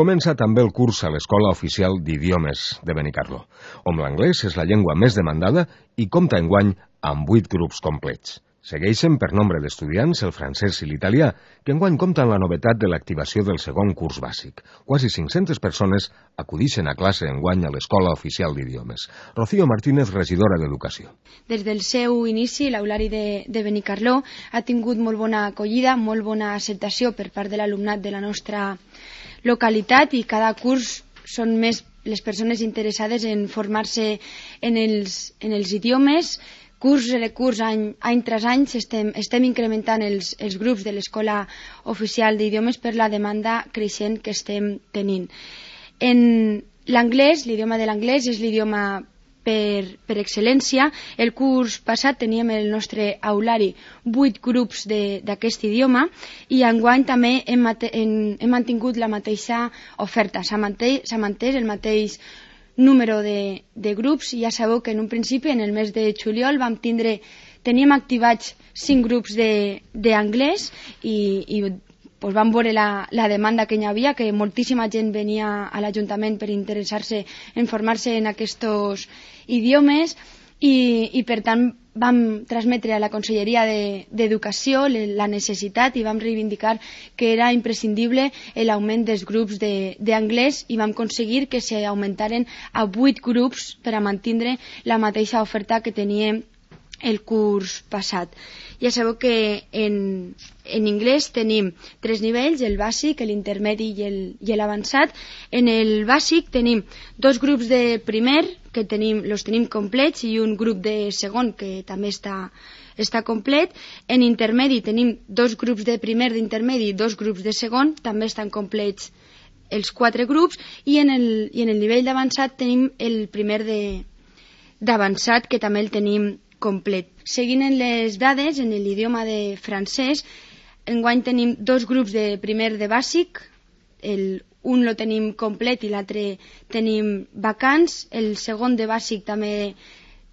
Comença també el curs a l'Escola Oficial d'Idiomes de Benicarló, on l'anglès és la llengua més demandada i compta enguany amb 8 grups complets. Segueixen per nombre d'estudiants el francès i l'italià, que enguany compten la novetat de l'activació del segon curs bàsic. Quasi 500 persones acudixen a classe enguany a l'Escola Oficial d'Idiomes. Rocío Martínez, regidora d'Educació. Des del seu inici, l'Aulari de Benicarló ha tingut molt bona acollida, molt bona acceptació per part de l'alumnat de la nostra localitat i cada curs són més les persones interessades en formar-se en els idiomes. Curs rere curs, any tras any, estem incrementant els grups de l'Escola Oficial d'Idiomes per la demanda creixent que estem tenint. En l'anglès, l'idioma de l'anglès és l'idioma per excel·lència. El curs passat teníem el nostre aulari 8 grups d'aquest idioma i enguany també hem mantingut la mateixa oferta. S'ha mantès el mateix número de grups. Ja sabeu que en un principi, en el mes de juliol, teníem activats 5 grups d'anglès i pues vam veure la demanda que hi havia, que moltíssima gent venia a l'Ajuntament per interessar-se en formar-se en aquests idiomes i per tant vam transmetre a la Conselleria d'Educació la necessitat i vam reivindicar que era imprescindible l'augment dels grups d'anglès i vam aconseguir que s'augmentaren a 8 grups per a mantenir la mateixa oferta que teníem el curs passat. Ja sabeu que en anglès tenim 3 nivells, el bàsic, l'intermedi i l'avançat. En el bàsic tenim 2 grups de primer, que los tenim complets, i un grup de segon, que també està complet. En intermedi tenim 2 grups de primer d'intermedi i 2 grups de segon, també estan complets els 4 grups, i en el nivell d'avançat tenim el primer d'avançat, que també el tenim complet. Seguint en les dades, en l'idioma de francès, enguany tenim 2 grups de primer de bàsic, un lo tenim complet i l'altre tenim vacants, el segon de bàsic també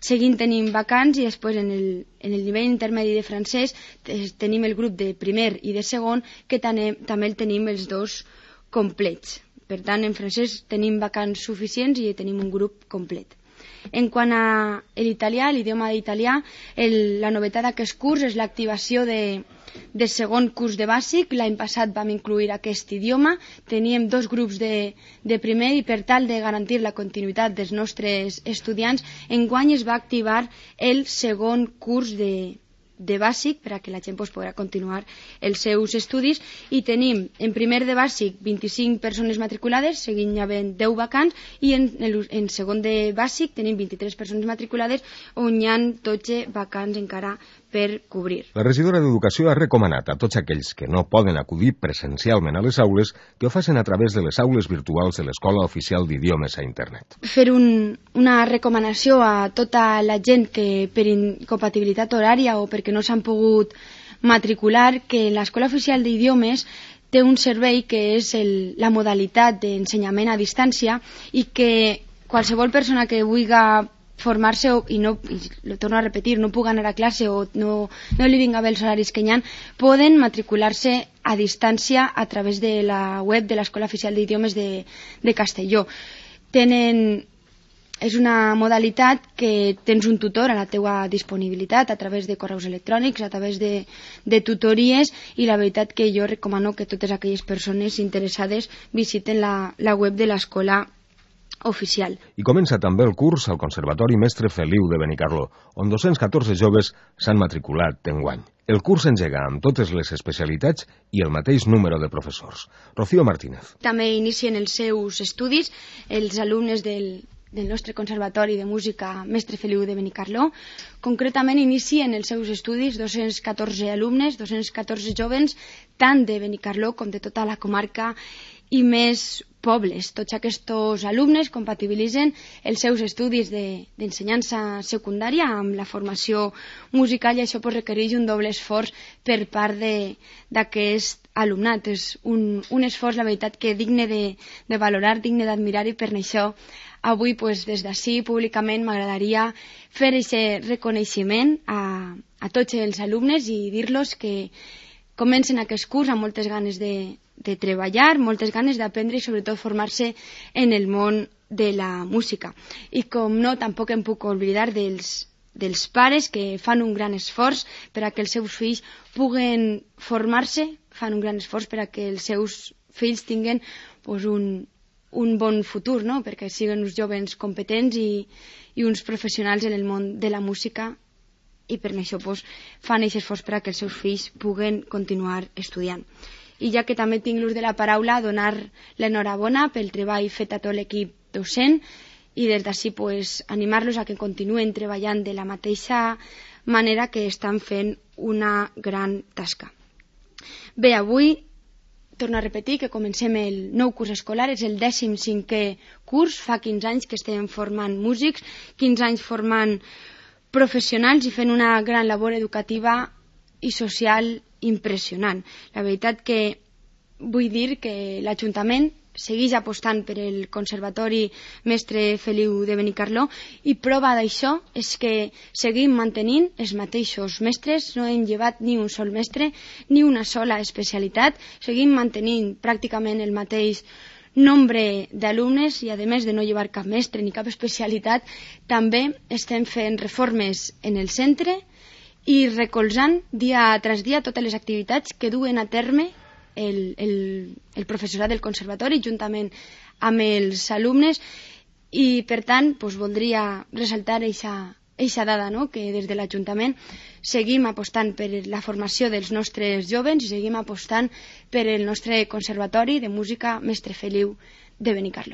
seguint tenim vacants i després en el nivell intermedi de francès tenim el grup de primer i de segon que també el tenim els 2 complets. Per tant, en francès tenim vacants suficients i tenim un grup complet. En quant a l'italià, l'idioma d'italià, la novetat d'aquest curs és l'activació de segon curs de bàsic. L'any passat vam incluir aquest idioma, teníem 2 grups de primer i per tal de garantir la continuïtat dels nostres estudiants, enguany es va activar el segon curs de bàsic per a que la gent podrà continuar els seus estudis i tenim en primer de bàsic 25 persones matriculades, seguint hi havent 10 vacants, i en segon de bàsic tenim 23 persones matriculades on hi ha 12 vacants encara per cobrir. La regidora d'Educació ha recomanat a tots aquells que no poden acudir presencialment a les aules que ho facin a través de les aules virtuals de l'Escola Oficial d'Idiomes a internet. Fer una recomanació a tota la gent que per incompatibilitat horària o perquè no s'han pogut matricular, que l'Escola Oficial d'Idiomes té un servei que és la modalitat d'ensenyament a distància i que qualsevol persona que vulgui formar-se i lo torno a repetir, no pugui anar a classe o no li vinga bé els horaris que hi ha, poden matricular-se a distància a través de la web de l'Escola Oficial d'Idiomes de Castelló. És una modalitat que tens un tutor a la teua disponibilitat a través de correus electrònics, a través de tutories, i la veritat que jo recomano que totes aquelles persones interessades visiten la web de l'Escola Oficial. I comença també el curs al Conservatori Mestre Feliu de Benicarló, on 214 joves s'han matriculat enguany. El curs s'engega amb totes les especialitats i el mateix número de professors. Rocío Martínez. També inicien els seus estudis els alumnes del nostre Conservatori de Música Mestre Feliu de Benicarló. Concretament inicien els seus estudis 214 alumnes, 214 jovens, tant de Benicarló com de tota la comarca i més pobles. Tots aquests alumnes compatibilitzen els seus estudis d'ensenyança secundària amb la formació musical i això requereix un doble esforç per part d'aquest alumnat. És un esforç, la veritat, que digne de valorar, digne d'admirar, i per això avui des d'ací públicament m'agradaria fer aquest reconeixement a tots els alumnes i dir-los que comencen aquest curs amb moltes ganes de de treballar, moltes ganes d'aprendre i sobretot formar-se en el món de la música. I com no, tampoc em puc oblidar dels pares que fan un gran esforç per a que els seus fills puguen formar-se, fan un gran esforç per a que els seus fills tinguin un bon futur, no? Perquè siguin uns joves competents i uns professionals en el món de la música, i per això fan aquest esforç per a que els seus fills puguen continuar estudiant. I ja que també tinc l'ús de la paraula, donar l'enhorabona pel treball fet a tot l'equip docent i des d'ací animar-los a que continuen treballant de la mateixa manera que estan fent una gran tasca. Bé, avui torno a repetir que comencem el nou curs escolar, és el 15è curs, fa 15 anys que estem formant músics, 15 anys formant professionals i fent una gran labor educativa i social impressionant. La veritat que vull dir que l'Ajuntament segueix apostant per el Conservatori Mestre Feliu de Benicarló i prova d'això és que seguim mantenint els mateixos mestres, no hem llevat ni un sol mestre ni una sola especialitat, seguim mantenint pràcticament el mateix nombre d'alumnes i a més de no llevar cap mestre ni cap especialitat, també estem fent reformes en el centre i recolzant dia tras dia totes les activitats que duen a terme el professorat del conservatori juntament amb els alumnes i per tant voldria ressaltar eixa dada, no? Que des de l'Ajuntament seguim apostant per la formació dels nostres jovens i seguim apostant per el nostre Conservatori de Música Mestre Feliu de Benicarló.